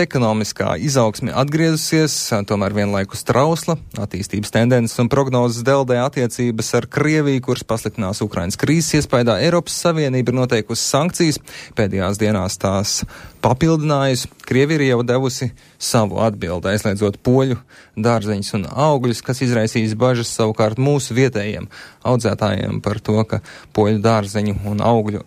ekonomiskā izaugsme atgriezusies, tomēr vienlaikus trausla, attīstības tendences un prognozes deldē attiecības ar Krieviju, kuras pasliktinās Ukrainas krīzes iespaidā. Eiropas Savienība ir noteikusi sankcijas, pēdējās dienās tās papildinājusi. Krievija ir jau devusi savu atbildi, aizliedzot poļu dārzeņus un augļus, kas izraisīs bažas savukārt mūsu vietējiem audzētājiem par to, ka poļu dārzeņu un augļu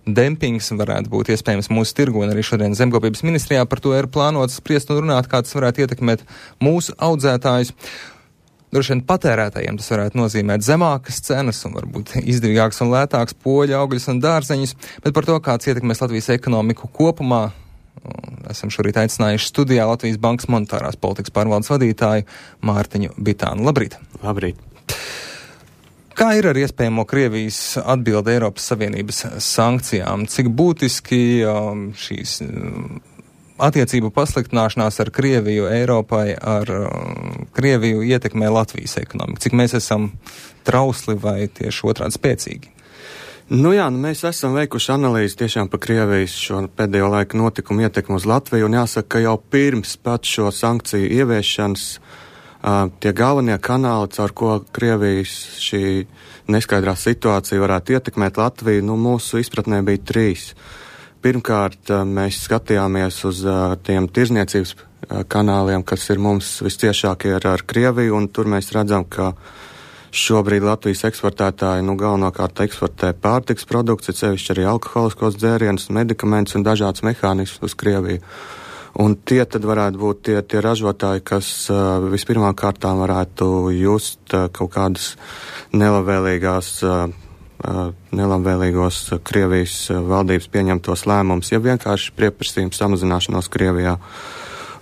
dempings varētu būt iespējams mūsu tirgu, un arī šodien Zemkopības ministrijā par to ir plānots spriest un runāt, kā tas varētu ietekmēt mūsu audzētājus. Droši vien patērētājiem tas varētu nozīmēt zemākas cenas un varbūt izdevīgāks un lētāks poļu augļus un dārzeņus, bet par to, kāds ietekmēs Latvijas ekonomiku kopumā, esam šorīt aicinājuši studijā Latvijas Bankas monetārās politikas pārvaldes vadītāju Mārtiņu Bitānu. Labrīt! Labrīt! Kā ir ar iespējamo Krievijas atbildi Eiropas Savienības sankcijām? Cik būtiski šīs attiecību pasliktināšanās ar Krieviju Eiropai, ar Krieviju ietekmē Latvijas ekonomiku? Cik mēs esam trausli vai tieši otrādi spēcīgi? Mēs esam veikuši analīzi tiešām par Krievijas šo pēdējo laiku notikumu ietekmu uz Latviju, un jāsaka, ka jau pirms pat šo sankciju ieviešanas tie galvenie kanāli, caur ko Krievijas šī neskaidrā situācija varētu ietekmēt Latviju, mūsu izpratnē bija 3. Pirmkārt, mēs skatījāmies uz tiem tirzniecības kanāliem, kas ir mums visciešākie ar Krieviju, un tur mēs redzam, ka šobrīd Latvijas eksportētāji galvenokārt eksportē pārtiks produktus, sevišķi arī alkoholiskos dzērienus, medikamentus un dažādas mehānismus uz Krieviju. Un tie tad varētu būt tie ražotāji, kas vispirmām kārtām varētu just kaut kādas nelabvēlīgos Krievijas valdības pieņemtos lēmumus, ja vienkārši pieprasījums samazināšanos Krievijā.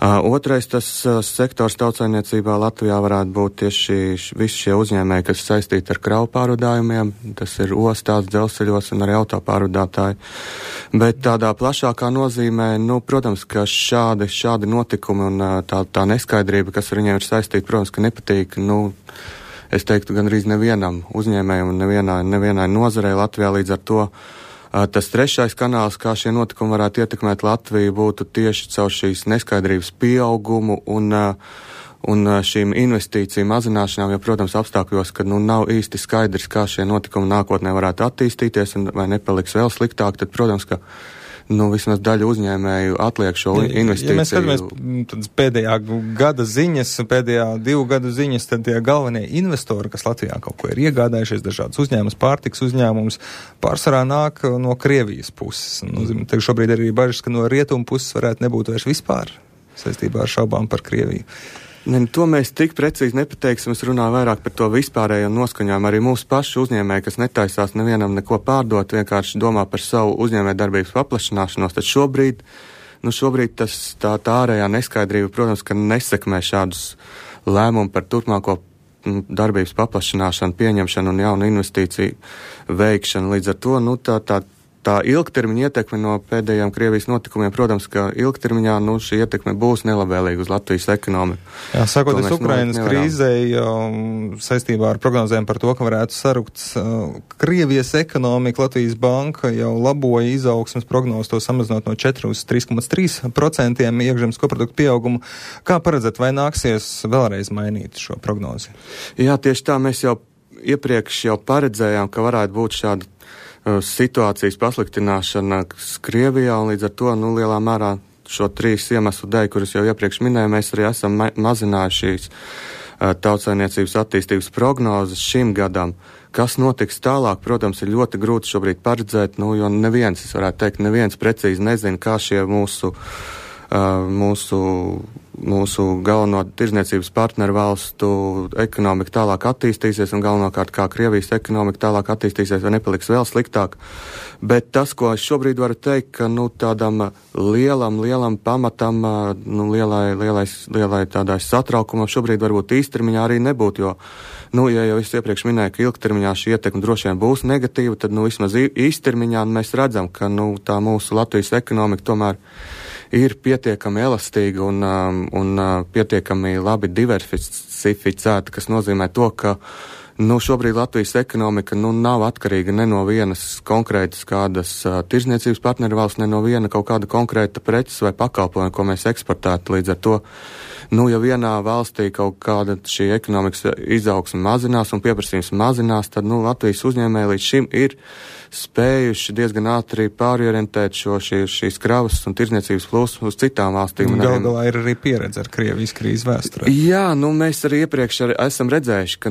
Otrais, tas sektors tautsaimniecībā Latvijā varētu būt tieši visi šie uzņēmēji, kas saistīti ar kravu pārvadājumiem, tas ir ostās, dzelzceļos un arī autopārvadātāji. Bet tādā plašākā nozīmē, protams, ka šādi notikumi un tā neskaidrība, kas ar viņiem ir saistīta, protams, ka nepatīk, es teiktu, gandrīz nevienam uzņēmējam un nevienai nozarei Latvijā. Līdz ar to tas 3. kanāls, kā šie notikumi varētu ietekmēt Latviju, būtu tieši caur šīs neskaidrības pieaugumu un šīm investīciju mazināšanām, jo, protams, apstākļos, kad nav īsti skaidrs, kā šie notikumi nākotnē varētu attīstīties un vai nepaliks vēl sliktāk, tad, protams, ka vismaz daļa uzņēmēju atliek šo investīciju. Ja mēs skatāmies pēdējā gada ziņas, pēdējā 2 gadu ziņas, tad tie galvenie investori, kas Latvijā kaut ko ir iegādājušies, dažādas uzņēmumus, pārtiks uzņēmumus, pārsvarā nāk no Krievijas puses. Tagad šobrīd arī bažas, ka no rietumu puses varētu nebūt vairs vispār saistībā ar šaubām par Krieviju. To mēs tik precīzi nepateiksim, es runāju vairāk par to vispārējo noskaņojumu. Arī mūsu pašu uzņēmēji, kas netaisās nevienam neko pārdot, vienkārši domā par savu uzņēmē darbības paplašināšanos, tad šobrīd tā ārējā neskaidrība, protams, ka nesekmē šādus lēmumu par turpmāko darbības paplašināšanu, pieņemšanu un jaunu investīciju veikšanu. Līdz ar to, tā ilgtermiņa ietekme no pēdējiem Krievijas notikumiem, protams, ka ilgtermiņā šī ietekme būs nelabvēlīga uz Latvijas ekonomiku. Jā, sākoties Ukrainas krīzei, saistībā ar prognozēm par to, ka varētu sarukt Krievijas ekonomika, Latvijas banka jau laboja izaugsmes prognozi, to samazinot no 4 uz 3,3% iekšzemes koproduktu pieaugumu. Kā paredzat, vai nāksies vēlreiz mainīt šo prognozi? Jā, tieši tā, mēs jau iepriekš paredzējām, ka varētu būt šāda situācijas pasliktināšana Krievijā, un līdz ar to, lielā mērā šo 3 iemeslu dēļ, kurus jau iepriekš minēju, mēs arī esam mazinājuši šīs tautsaimniecības attīstības prognozes šim gadam. Kas notiks tālāk, protams, ir ļoti grūti šobrīd paredzēt, jo neviens precīzi nezina, kā šie mūsu galveno tirzniecības partneru valstu ekonomika tālāk attīstīsies un galvenokārt kā Krievijas ekonomika tālāk attīstīsies vai nepaliks vēl sliktāk. Bet tas, ko es šobrīd varu teikt, ka tādam lielam pamatam, lielai tādai satraukumam šobrīd varbūt īstermiņā arī nebūtu, jo, ja jau es iepriekš minēju, ka ilgtermiņā šī ietekme droši vien būs negatīva, tad vismaz īstermiņā mēs redzam, ka tā mūsu Latvijas ekonomika tomēr ir pietiekami elastīga un pietiekami labi diversificēta, kas nozīmē to, ka Šobrīd Latvijas ekonomika nav atkarīga ne no vienas konkrētas kādas tirzniecības partneru valsts, ne no viena kaut kāda konkrēta preces vai pakalpojuma, ko mēs eksportētu. Līdz ar to, ja vienā valstī kaut kāda šī ekonomikas izaugsme mazinās un pieprasījums mazinās, tad Latvijas uzņēmēji līdz šim ir spējuši diezgan ātri pārorientēt šīs kravas un tirzniecības plūsmas uz citām valstīm. Galu galā ir arī pieredze ar Krievijas krīzes vēsturē. Jā, mēs arī iepriekš esam redzējuši, ka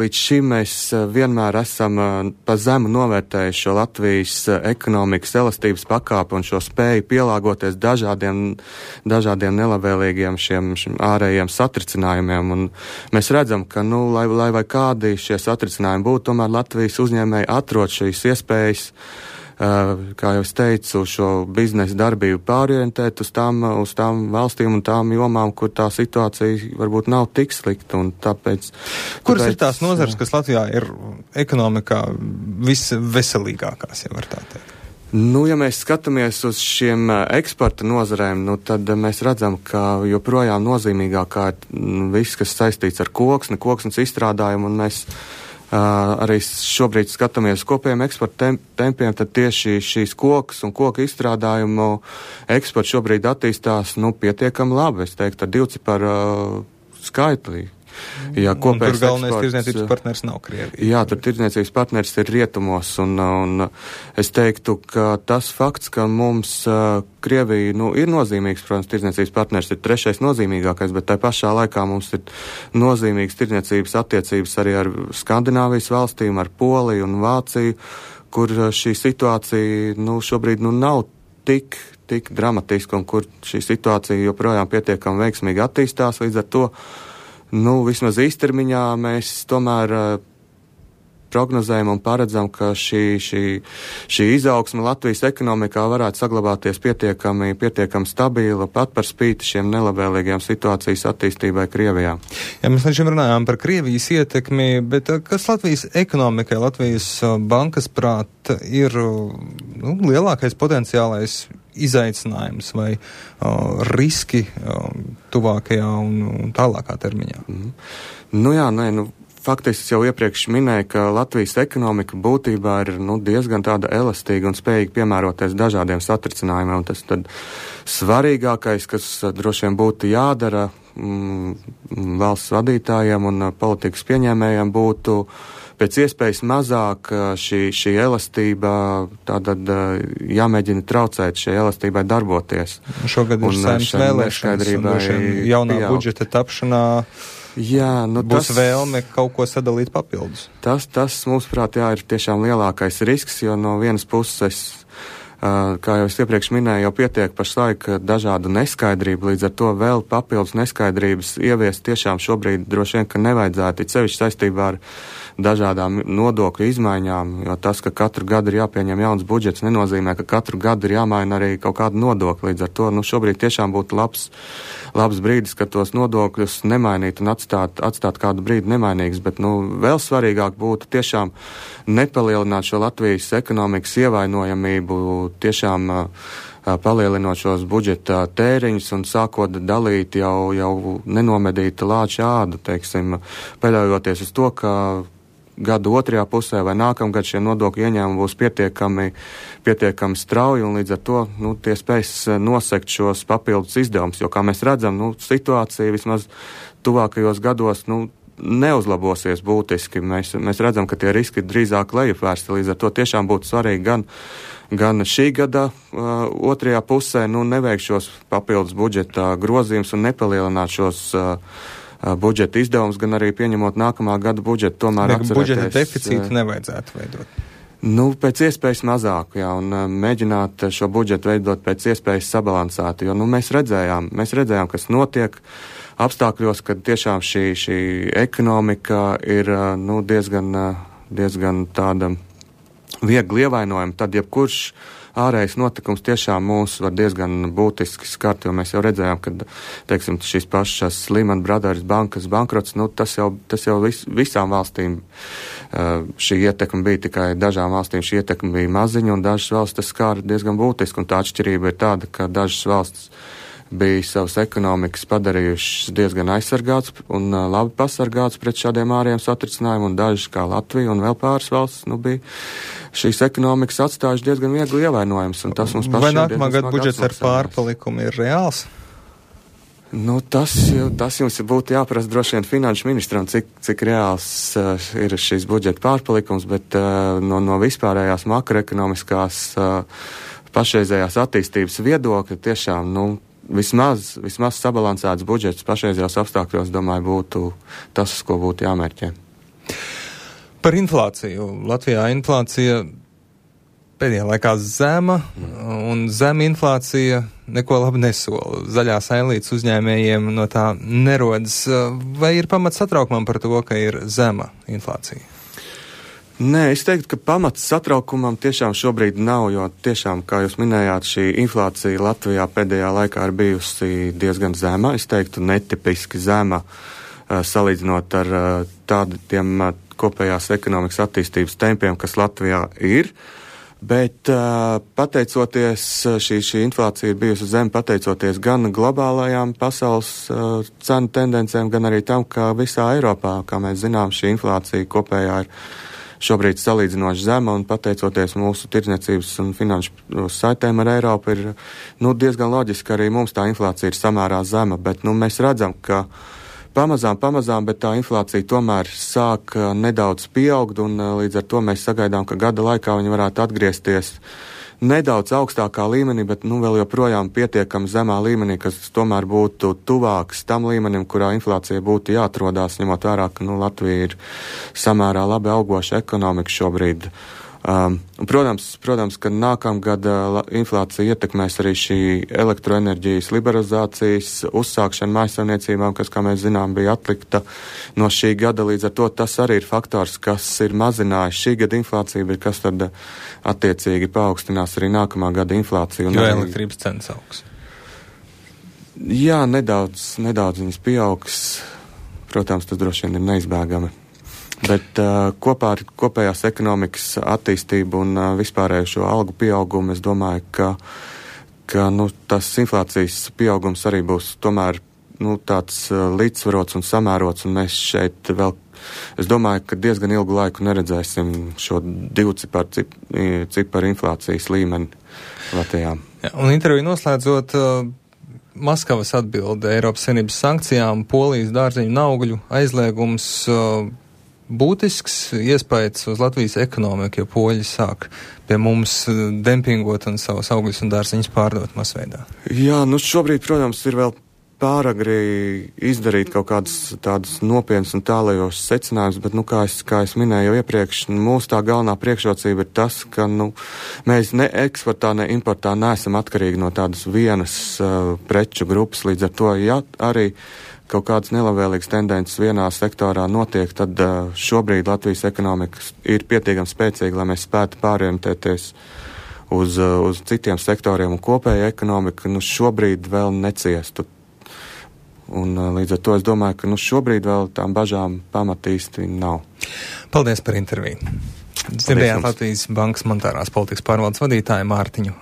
līdz šim mēs vienmēr esam pa zemu novērtējuši šo Latvijas ekonomikas elastības pakāpi un šo spēju pielāgoties dažādiem nelabvēlīgiem šiem ārējiem satricinājumiem. Un mēs redzam, ka, lai vai kādi šie satricinājumi būtu, tomēr Latvijas uzņēmēji atrod šīs iespējas, kā jau es teicu, šo biznesa darbību pārorientēt uz tām valstīm un tām jomām, kur tā situācija varbūt nav tik slikta. Kuras ir tās nozares, kas Latvijā ir ekonomikā visveselīgākās, ja var tā teikt? Ja mēs skatāmies uz šiem eksporta nozarēm, tad mēs redzam, ka joprojām nozīmīgākā ir viss, kas saistīts ar koksnes izstrādājumu, un mēs arī šobrīd skatāmies kopējiem eksporta tempiem, tad tieši šīs kokas un koku izstrādājumu eksports šobrīd attīstās pietiekami labi, es teiktu, ar divciparu skaitli. Jā, un tur galvenais tirdzniecības partners nav Krievija. Jā, tur tirdzniecības partners ir rietumos, un es teiktu, ka tas fakts, ka mums Krievija ir nozīmīgs, protams, tirdzniecības partners ir trešais nozīmīgākais, bet tai pašā laikā mums ir nozīmīgas tirdzniecības attiecības arī ar Skandināvijas valstīm, ar Poliju un Vāciju, kur šī situācija šobrīd nav tik dramatiska un kur šī situācija joprojām pietiekami veiksmīgi attīstās, līdz ar to vismaz īstermiņā mēs tomēr prognozējam un paredzam, ka šī izaugsme Latvijas ekonomikā varētu saglabāties pietiekami stabila, pat par spīti šiem nelabvēlīgiem situācijas attīstībai Krievijā. Jā, mēs līdz šim runājām par Krievijas ietekmi, bet kas Latvijas ekonomikai, Latvijas bankas prāt ir lielākais potenciālais izaicinājums vai riski tuvākajā un tālākā termiņā? Faktiski es jau iepriekš minēju, ka Latvijas ekonomika būtībā ir diezgan tāda elastīga un spējīga piemēroties dažādiem satricinājumiem. Un tas tad svarīgākais, kas droši vien būtu jādara valsts vadītājiem un politikas pieņēmējiem, būtu pēc iespējas mazāk šī elastība tātad jāmēģina traucēt šai elastībai darboties. Šogad ir Saeimas vēlēšanas un jaunā budžeta tapšanā. Jā, būs vēlme kaut ko sadalīt papildus. Tas mūsuprāt, ir tiešām lielākais risks, jo no vienas puses, kā jau es iepriekš minēju, jau pietiek pašlaik dažādu neskaidrību, līdz ar to vēl papildus neskaidrības ieviest tiešām šobrīd droši vien, ka nevajadzētu, it sevišķi saistībā ar dažādām nodokļu izmaiņām, jo tas, ka katru gadu ir jāpieņem jauns budžets, nenozīmē, ka katru gadu ir jāmaina arī kaut kāda nodokļa. Līdz ar to šobrīd tiešām būtu labs brīdis, ka tos nodokļus nemainīt un atstāt kādu brīdi nemainīgus, bet vēl svarīgāk būtu tiešām nepalielināt šo Latvijas ekonomikas ievainojamību, tiešām palielinot šos budžeta tēriņus un sākot dalīt jau nenomedīta lāča ādu, paļaujoties uz to, ka gadu otrajā pusē vai nākamgad šie nodokļu ieņēmumi būs pietiekami strauji un līdz ar to tie spēs nosekt šos papildus izdevumus, jo, kā mēs redzam, situācija vismaz tuvākajos gados neuzlabosies būtiski. Mēs redzam, ka tie riski drīzāk lejupvērsti, līdz ar to tiešām būtu svarīgi gan šī gada otrajā pusē neveikt šos papildus budžeta grozījumus un nepalielināt šos budžeta izdevums, gan arī pieņemot nākamā gada budžetu, tomēr atcerēties. Budžeta deficītu nevajadzētu veidot. Pēc iespējas mazāk, jā, un mēģināt šo budžetu veidot pēc iespējas sabalansētu, jo mēs redzējām, kas notiek apstākļos, kad tiešām šī ekonomika ir diezgan tāda viegli ievainojama, tad jebkurš ārējais notikums tiešām mūs var diezgan būtiski skart, jo mēs jau redzējām, ka, šīs pašas Lehman Brothers bankas bankrots, tas jau visām valstīm šī ietekme bija, tikai dažām valstīm šī ietekme bija maziņa, un dažas valstis tas skāra diezgan būtiski, un tā atšķirība ir tāda, ka dažas valstis bija savas ekonomikas padarījušas diezgan aizsargāts un labi pasargāts pret šādiem ārējiem satricinājumiem, un dažas, kā Latvija un vēl pāris valsts, bija šīs ekonomikas atstājuši diezgan viegli ievainojams, un tas mums pašiem. Vai nākamā gada budžets ar pārpalikumu ir reāls? Tas jums būtu jāprasa droši vien finanšu ministram, cik reāls ir šīs budžeta pārpalikums, bet no vispārējās makroekonomiskās pašreizējās attīstības viedokļa tiešām, vismaz sabalansēts budžets pašreizējos apstākļos, domāju, būtu tas, uz ko būtu jāmērķē. Par inflāciju. Latvijā inflācija pēdējā laikā zema, un zema inflācija neko labi nesola. Zaļās ailītes uzņēmējiem no tā nerodas. Vai ir pamats satraukumam par to, ka ir zema inflācija? Nē, es teiktu, ka pamats satraukumam tiešām šobrīd nav, jo tiešām, kā jūs minējāt, šī inflācija Latvijā pēdējā laikā ir bijusi diezgan zema. Es teiktu, netipiski zema, salīdzinot ar tādiem kopējās ekonomikas attīstības tempiem, kas Latvijā ir. Bet pateicoties, šī inflācija ir bijusi zema pateicoties gan globālajām pasaules cenu tendencēm, gan arī tam, ka visā Eiropā, kā mēs zinām, šī inflācija kopējā ir šobrīd salīdzinoši zema, un pateicoties mūsu tirdzniecības un finanšu saitēm ar Eiropu, ir diezgan loģiski arī mums tā inflācija ir samērā zema, bet mēs redzam, ka pamazām, bet tā inflācija tomēr sāk nedaudz pieaugt, un līdz ar to mēs sagaidām, ka gada laikā viņi varētu atgriezties nedaudz augstākā līmenī, bet vēl joprojām pietiekami zemā līmenī, kas tomēr būtu tuvāks tam līmenim, kurā inflācija būtu jāatrodās, ņemot vērā, ka Latvija ir samērā labi augoša ekonomika šobrīd. Protams, ka nākamgad inflācija ietekmēs arī šī elektroenerģijas liberalizācijas uzsākšana mājsaimniecībām, kas, kā mēs zinām, bija atlikta no šī gada. Līdz ar to tas arī ir faktors, kas ir mazinājis šī gada inflāciju, bet kas tad attiecīgi paaugstinās arī nākamā gada inflāciju. Jo elektrības cenas augs. Jā, nedaudz viņas pieaugs. Protams, tas droši vien ir neizbēgami. Bet kopā ar kopējās ekonomikas attīstību un vispārējo šo algu pieaugumu, es domāju, ka tas inflācijas pieaugums arī būs tomēr tāds līdzsvarots un samērots, un mēs šeit vēl, es domāju, ka diezgan ilgu laiku neredzēsim šo divciparu inflācijas līmeni Latvijā. Ja, un interviju noslēdzot, Maskavas atbilde Eiropas Savienības sankcijām, Polijas dārzeņu un augļu aizliegums, būtisks iespējas uz Latvijas ekonomiku, jo poļi sāk pie mums dempingot un savus augļus un dārziņus pārdot masveidā. Jā, šobrīd, protams, ir vēl pāragri izdarīt kaut kādas tādas nopietnas un tālajošas secinājumus, bet, kā es minēju jau iepriekš, mūsu tā galvenā priekšrocība ir tas, ka, mēs ne eksportā, ne importā neesam atkarīgi no tādas vienas preču grupas, līdz ar to, ja arī kaut kādas nelabvēlīgas tendences vienā sektorā notiek, tad šobrīd Latvijas ekonomika ir pietiekami spēcīga, lai mēs spētu pārorientēties uz citiem sektoriem, un kopēja ekonomika šobrīd vēl neciestu. Un līdz ar to es domāju, ka šobrīd vēl tām bažām pamatīsti nav. Paldies par interviju. Dzirdējāt Latvijas Bankas monetārās politikas pārvaldes vadītāju Mārtiņu